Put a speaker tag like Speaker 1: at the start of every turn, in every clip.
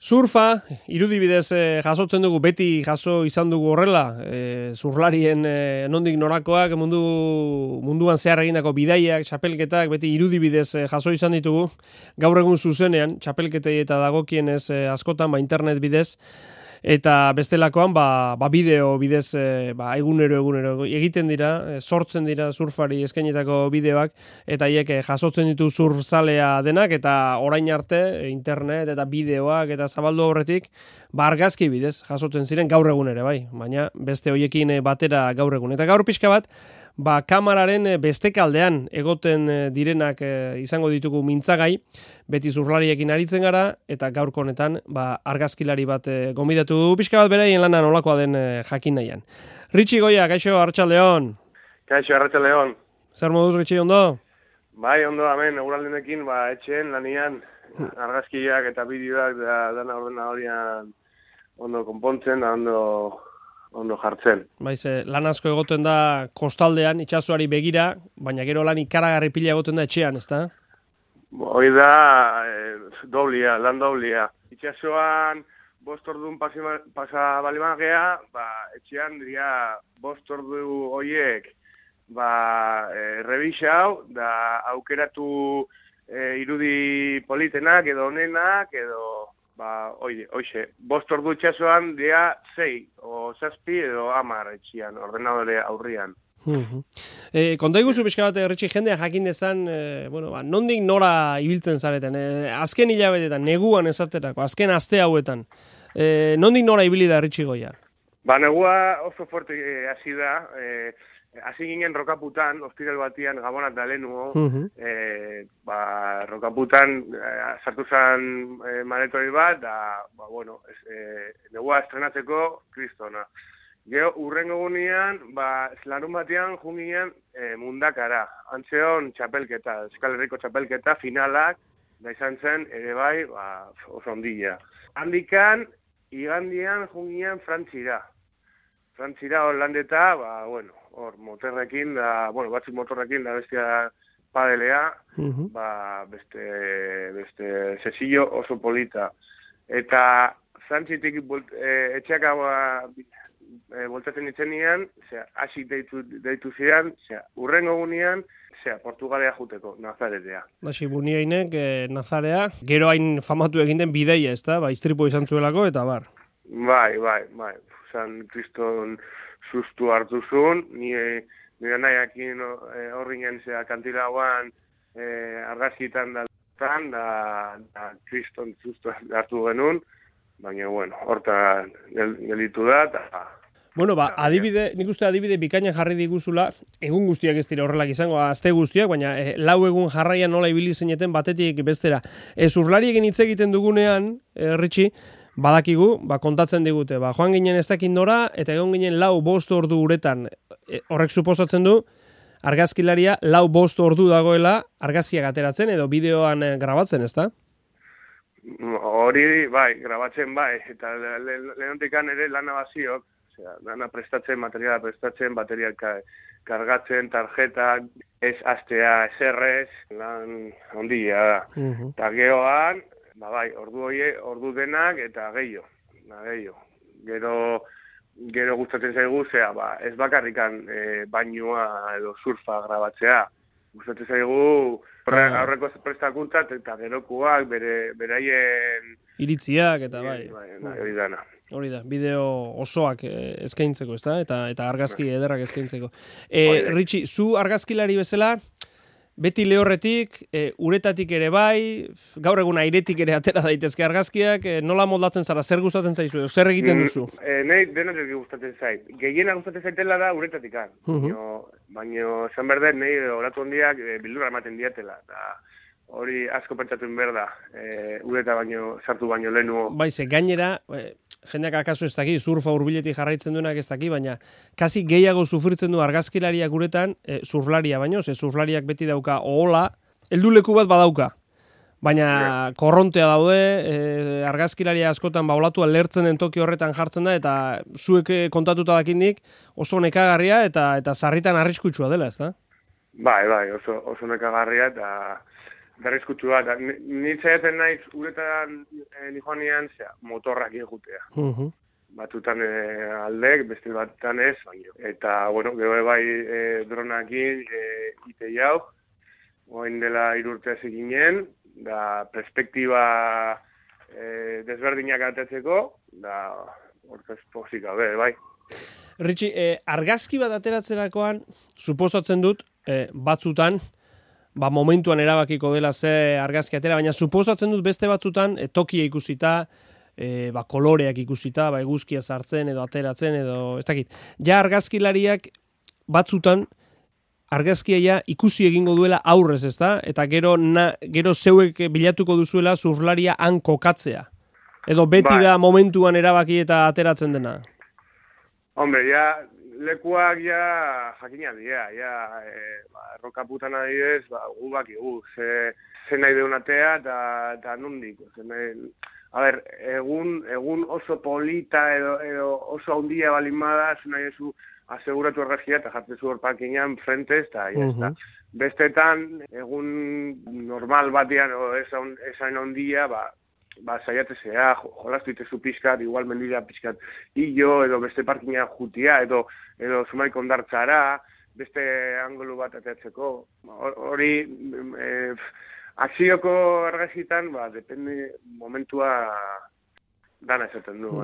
Speaker 1: Surfa, irudibidez jasotzen dugu, beti jaso izan dugu horrela, surflarien nondik norakoak, munduan zehar egindako bidaiak, txapelketak, beti irudibidez jaso izan ditugu, gaur egun zuzenean, txapelketei eta dagokienez askotan, internet bidez, eta bestelakoan, bideo bidez, egunero egiten dira, sortzen dira surfari eskainitako bideoak, eta haiek jasotzen ditu surfzalea denak, eta orain arte, internet eta bideoak eta zabaldu horretik, argazki bidez jasotzen ziren gaur egun ere, bai, baina beste hoiekin batera gaur egun. Eta gaur pixka bat, kamararen bestekaldean egoten direnak izango ditugu mintzagai, beti surflariekin aritzen gara, eta gaurko honetan argazkilari bat gomidatu du, pixka bat beraien lana nolakoa den jakin nahian. Ritxi Goia, kaixo, arratsaldeon.
Speaker 2: Kaixo, arratsaldeon.
Speaker 1: Zer moduz, Ritxi, ondo?
Speaker 2: Bai, ondo, hemen, eguraldenekin, etxeen, lanian, argazkiak eta bideoak dana ordenadorian ondo konpontzen, da ondo jartzen.
Speaker 1: Baiz, lan asko egoten da kostaldean, itsasoari begira, baina gero lan ikaragarri pila egoten da etxean, ezta?
Speaker 2: Hoi da, lan doblia. Itsasoan, 5 ordun pasa balimagea, etxean dira 5 ordu hoiek, rebisau, da aukeratu irudi politenak edo onenak, edo hoxe, 5 ordu itxasoan dira 6, o 7 edo 10 etxian, ordenadore aurrian.
Speaker 1: Konta iguzu pixka bat, Ritxi, jendea jakin dezan, nondik nora ibiltzen zareten, azken hilabetetan, neguan esaterako, azken aste hauetan, nondik nora ibili da Ritxi Goia?
Speaker 2: Negua oso fuerte hasi da, hasi ginen Rokaputan, ostiral batian, Gabonat da lehenuo, Rokaputan sartu zen maretori bat, negua estrenatzeko kristona. Gero, urrengo gunean, larun batean jungian Mundakara. Antzeon txapelketa, Euskal Herriko txapelketa, finalak, da izan zen, ere bai, oso ondila. Handikan, igandian jungian Frantzira. Frantzira hor landeta, hor motorrekin, batzuk motorrekin, da bestia padelea, beste sesillo oso polita. Eta Frantzitik etxeaka voltatzen itzenean, hasi deitu ziren, urrengo gunean, Portugalea juteko, Nazaretea.
Speaker 1: Hasi buniainek, Nazarea, gero hain famatu egin den bideia, ezta? Istripo izan zuelako, eta bar.
Speaker 2: Bai. San Kriston sustu hartu zuen, nire nahiakin horringen kantilauan argazkitan da Kriston sustu hartu genuen, baina, horta gelitu da, eta...
Speaker 1: nik uste adibide bikainan jarri diguzula, egun guztiak ez dira horrelak izango, aste guztiak, baina lau egun jarraian nola ibili zineten batetik bestera. Zurflariekin hitz egiten dugunean, Ritxi, badakigu, kontatzen digute, joan ginen ez dakit nora, eta egon ginen 4-5 ordu uretan, horrek suposatzen du, argazkilaria 4-5 ordu dagoela argazkiak ateratzen edo bideoan grabatzen, ezta?
Speaker 2: Hori, grabatzen eta lehenotikan ere lana baziok, dana prestatzen, materiala prestatzen, bateriak kargatzen, tarjetak, ez astea, eserrez, lan ondia da. Eta gehoan, ordu denak eta gehiago. Gero gustatzen zaigu, ez bakarrikan bainua edo surfa grabatzea. Gustatzen zaigu aurreko prestakuntzat eta gerokuak, beraien...
Speaker 1: Iritziak eta
Speaker 2: hori dana.
Speaker 1: Hori da, bideo osoak eskaintzeko, ezta? Eta argazki ederrak eskaintzeko. Ritxi, zu argazkilari bezala, beti lehorretik, uretatik ere bai, gaur egun airetik ere atera daitezke argazkiak, nola moldatzen zara, zer gustatzen zaizu edo, zer egiten duzu?
Speaker 2: Nahi denetik gustatzen zait. Gehiena gustatzen zaitela da ureetatik. Baina, esan berdet, nahi oratu hondiak bildura ematen diatela. Hori asko pentsatuen behar da, ureta sartu baino lehenuo.
Speaker 1: Baize, gainera, jendeak akaso ez daki, surfa hurbiletik jarraitzen duenak ez daki, baina kasi gehiago sufritzen du argazkilariak uretan, surflaria baino, surflariak beti dauka ohola, helduleku bat badauka. Baina korrontea daude, argazkilaria askotan olatua lertzen den toki horretan jartzen da, eta zuek kontatuta dakindik oso nekagarria eta sarritan arriskutsua dela, ez da?
Speaker 2: Bai, oso nekagarria, eta berrizkutua, eta nintzaiaten naiz uretan nijoanean, motorrak egutea. Batutan aldek, beste batutan ez, baino. Eta, bueno, gero bai dronakin ite jau, oain dela 3 urte ginen, da perspektiba desberdinak atetzeko, da hortaz pozik gabe, bai.
Speaker 1: Ritxi, argazki bat ateratzerakoan, suposatzen dut, batzutan, momentuan erabakiko dela ze argazki atera, baina suposatzen dut beste batzutan tokia ikusita, koloreak ikusita, eguzkia sartzen edo ateratzen edo ez dakit. Ja argazkilariak batzutan argazkia ikusi egingo duela aurrez, ezta? Eta gero zeuek bilatuko duzuela surflaria han kokatzea. Edo beti da momentuan erabaki eta ateratzen dena.
Speaker 2: Hombre, lekuak jakina dira, errokaputan adidez, gu bakigu, ze nahi deun atea eta nondik. A ber, egun oso polita edo oso handia balin bada, nahi ezu aseguratu argazkia eta jartzezu hor parkinean frentez, eta jazta. Bestetan, egun normal batean, esan handia, saiatzea, jolastu itezu pixkat, igual mendira pixkat hilo, edo beste parkina jutia, edo zumaik ondartzara, beste angolu bat ateatzeko. Hori, akzioko argazitan, depende momentua dana esaten du.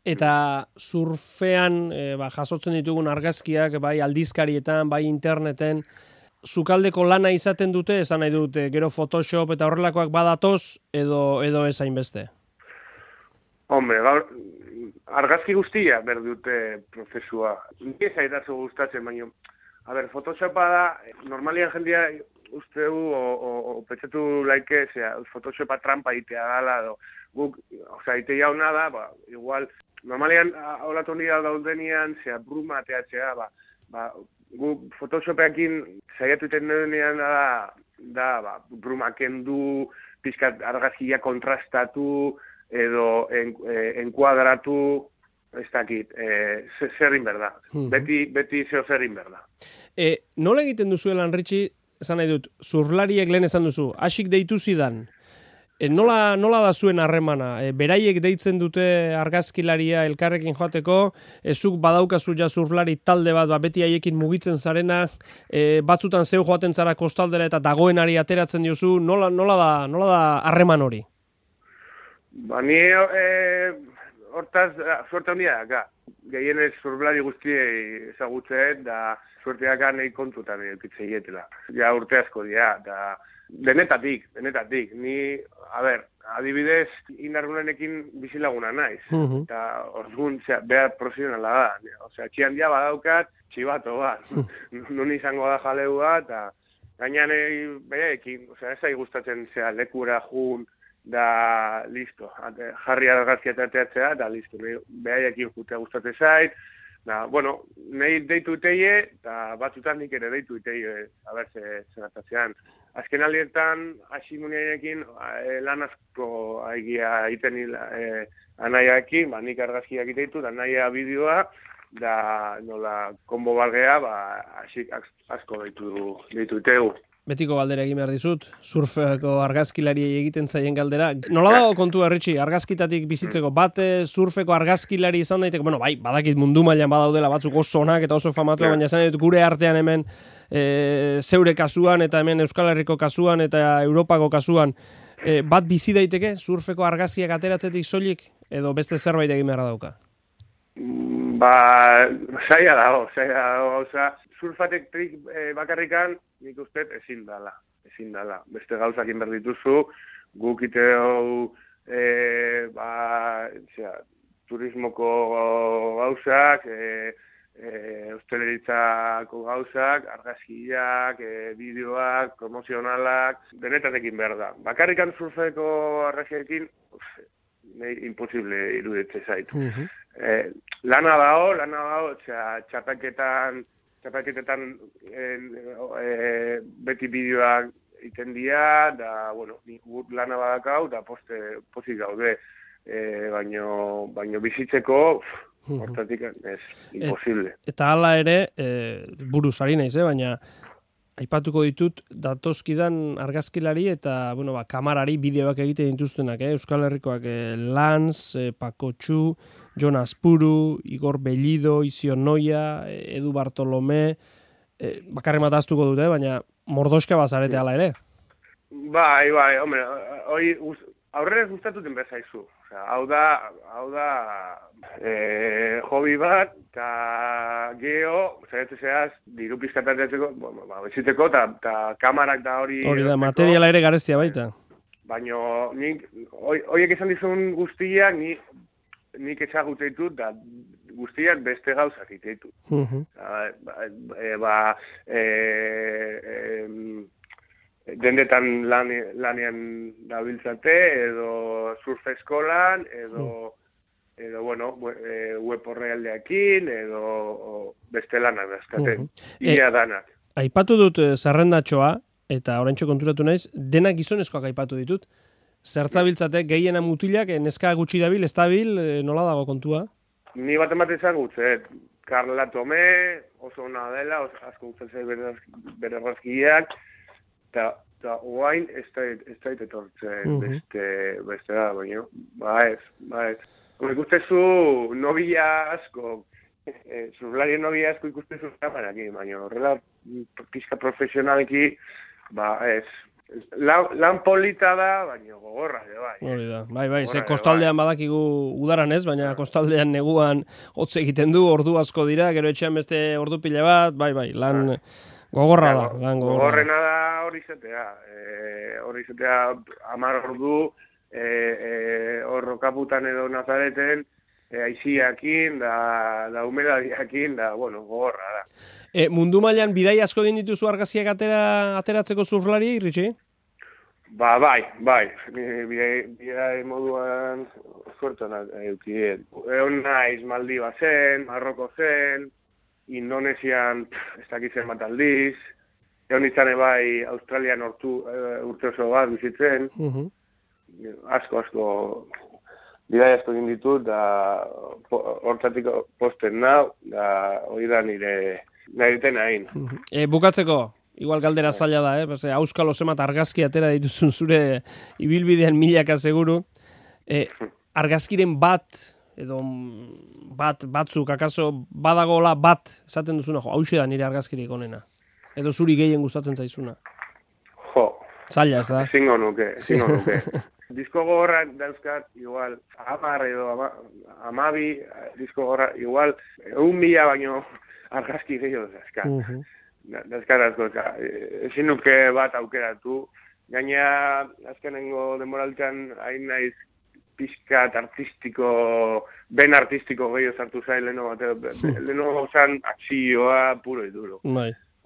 Speaker 1: Eta surfean jasotzen ditugun argazkiak, bai aldizkarietan, bai interneten, sukaldeko lana izaten dute, esan nahi dute, gero Photoshop eta horrelakoak badatoz, edo ez hainbeste?
Speaker 2: Hombre, argazki guztia berdute prozesua. Ni zaitatzu gustatzen, baina, Photoshopa da, normalian jendia usteu, o petxetu laike, Photoshopa trampa itea dala, guk, ite jauna da, igual, normalian, holatu nira daudenian, bruma ateatzea, gu Photoshopeakin saiatu iten denean da bruma kendu, pizkat argazkia kontrastatu, edo enkuadratu, ez dakit, zerrin berda. Beti zeo zerrin berda.
Speaker 1: Nola egiten duzuelan, Ritxi, esan nahi dut, surflariek lehen esan duzu, hasik deitu zidan, nola da zuen harremana? Beraiek deitzen dute argazkilaria elkarrekin joateko, zuk badaukazu ja surflari talde bat, beti haiekin mugitzen zarena, batzutan zeu joaten zara kostaldera eta dagoenari ateratzen diozu, nola da harreman hori?
Speaker 2: Ni hortaz, suerte handia daka. Gehienez surflari guztiei ezagutzeet, da suerteak nahi kontutan eukitzei etela. Ja urte asko dira, da denetatik. Ni, adibidez, indargunenekin bizilaguna naiz. Eta orduan, behar profesionala da. Osea, txian dia badaukat, txibato bat. Nun izango da jaleua, eta gainan behaekin, osea, ez gustatzen lekura jun, da listo. Jarri argazkia ateatzea, da listo. Behaekin jutea gustatzen zait. Bueno, nahi deitu iteie, eta batzutan nik ere deitu iteie, zenatzean. Azken alietan, hasi munearekin, lan asko aigia iten anaiaekin, nik argazkiak iteitu, da anaia bideoa, da nola konbo balgea, hasi asko deitu itegu.
Speaker 1: Betiko galdera egin behar dizut, surfeko argazkilariei egiten zaien galdera. Nola dago kontua, Ritxi, argazkitatik bizitzeko? Bat surfeko argazkilari izan daiteke, badakit mundu mailan badaudela batzuk oso onak eta oso famatu, baina esan dut gure artean hemen zeure kasuan eta hemen Euskal Herriko kasuan eta Europako kasuan, bat bizi daiteke surfeko argazkiak ateratzetik soilik edo beste zerbait egin beharra dauka?
Speaker 2: Zaila dago, surfatek trik bakarrikan nik uste ezin dala. Beste gauzakin behar dituzu, guk iteo turismoko gauzak, hosteleritzako gauzak, argazkiak, bideoak, promozionalak, denetatekin behar da. Bakarrikan surfeko argazkiekin, imposible iruditze zait. Lana dago, txapelketetan beti bideoak iten dira, da, nik lana badakau, da pozik gaude, baino bizitzeko, hortatik ez, imposible.
Speaker 1: Eta hala ere, buruz ari naiz, baina Aipatuko ditut datozkidan argazkilari eta kamarari bideoak egiten dituztenak, Euskal Herrikoak Lanz, Pakotxu, Jon Azpuru, Igor Bellido, Izion Noia, Edu Bartolome, bakarri mataztuko dute, baina mordoska bazarete ala ere.
Speaker 2: Bai, hombre, aurrera gustatuten bezaizu. Hau da hobi bat, eta geho, zaitzea diru pizkatatzeko, bezitzeko, eta kamarak da hori...
Speaker 1: Hori da, materiala ere garestia baita.
Speaker 2: Baina, horiek esan dizun guztiak, nik ezagutzen ditut, da guztiak beste gauzak ditut. Dendetan lanean dabiltzate, edo surf eskolan, edo web horrealdeakin, edo beste lanak dazkaten. Ia danak.
Speaker 1: Aipatu dut zerrendatxoa, eta oraintxo konturatu naiz, denak gizonezkoak aipatu ditut. Zertzabiltzate gehiena mutilak, neska gutxi dabil, ez dabil, nola dago kontua?
Speaker 2: Ni bat ematen zan gutzet. Karla Tome, oso ona dela, asko gutzen bere razkiak, eta oain ez dait etortzen beste da, baina, ba ez. Ikustezu nobia asko, zurlarien nobia asko ikustezu kamaraki, baina horrela pizka profesionaleki, ba ez. Lan polita da, baina gogorra, bai.
Speaker 1: Hori da, bai, ze kostaldean badakigu udaran ez, baina kostaldean neguan hotz egiten du, ordu asko dira, gero etxean beste ordu pila bat, bai, lan gogorra da.
Speaker 2: Gogorrena da hori izatea. Hori izatea 10 ordu, horrokaputan edo Nazareten, aiziakin, da humedadiakin, da, gogorra da.
Speaker 1: Mundu mailan bidai asko egin dituzu argazkiak ateratzeko surflari, Ritxi?
Speaker 2: Bai. Bidai moduan suertan eukien. Egon naiz Maldiva zen, Marroko zen, Indonesian ez dakitzen bat aldiz, egon izan bai Australian urte oso bat bizitzen, asko bidai asko egin ditut, da hortzatik posten nau, da hori da nire hain.
Speaker 1: Bukatzeko, igual galdera zaila da, auskalo zemat argazki atera dituzun zure ibilbidean milaka seguru, argazkiren bat, edo batzuk, akaso badagola bat, esaten duzuna, hauxe da nire argazkirik onena. Edo zuri gehien gustatzen zaizuna. Zaila ez da?
Speaker 2: Ezingo nuke. Disko gogorra dauzkat, igual, 10 edo 12 disko gogorra, igual, 1.000 baino argazki gehiago dauzkat. Dauzkat asko, ezin nuke bat aukeratu. Gaina, azkenengo demoraltean, hain naiz pixkat artistiko, ben artistiko gehiago sartu zain leheno zan akzioa puro iduro.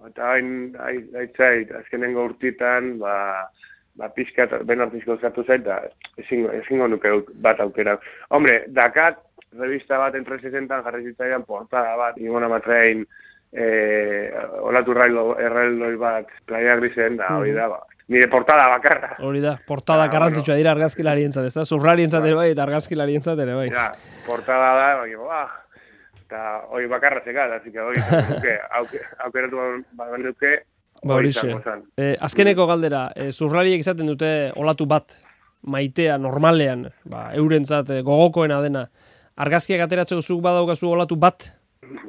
Speaker 2: Eta hain aitzait, azkenengo urtitan, pixkat ben artistiko sartu zain, eta ezingo nuke bat aukera. Hombre, dakat, revista bat en 360 jarri zitzaidan portada bat, ingona matrein olatu erraildoi bat Playa Grisen, da hori da, nire portada bakarra.
Speaker 1: Hori da, portada garrantzitsua dira argazkilarientzat, ez da? Zurlarientzat ere bai, eta argazkilarientzat ere bai.
Speaker 2: Ja, portada da, baina, eta hori bakarra zekat, así que hori aukeratu bat duke, hori izango zan.
Speaker 1: Azkeneko galdera, zurlariek izaten dute olatu bat, maitea, normalean, eurentzat gogokoena dena, argazkiak ateratzeko zuk badaukazu olatu bat?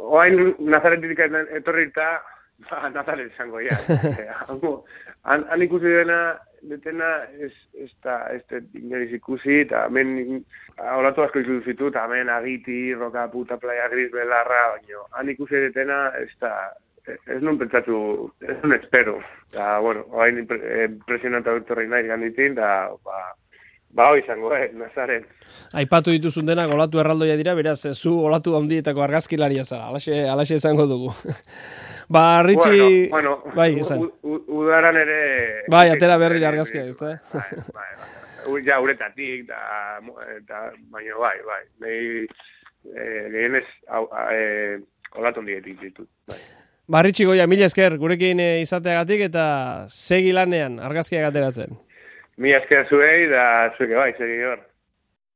Speaker 2: Oain Nazaretik etorri eta Nazaret izango, ja. Han ikusi detena ez da inoiz ikusi, eta hemen olatu asko ikusi zitu, eta hemen Agiti, Roka Puta, Playa Gris, Belarra, baina han ikusi detena ez nun pentsatu, ez nun espero. Eta, oain impresionanta etorri nahi ganditin, eta hoi izango, Nazaret.
Speaker 1: Aipatu dituzun denak olatu erraldoia dira, beraz, zu olatu handietako argazkilaria zara, alaxe izango dugu. Ritxi... Bai, esan.
Speaker 2: Udaran ere...
Speaker 1: Bai, atera berri argazkia, ez da?
Speaker 2: Ja, uretatik, eta baina bai. Gehienez, olatu handietik ditut, bai.
Speaker 1: Ritxi Goia, mila esker, gurekin izateagatik eta segi lanean argazkiak ateratzen.
Speaker 2: Mila esker zuei, da zueke bai, segi hor.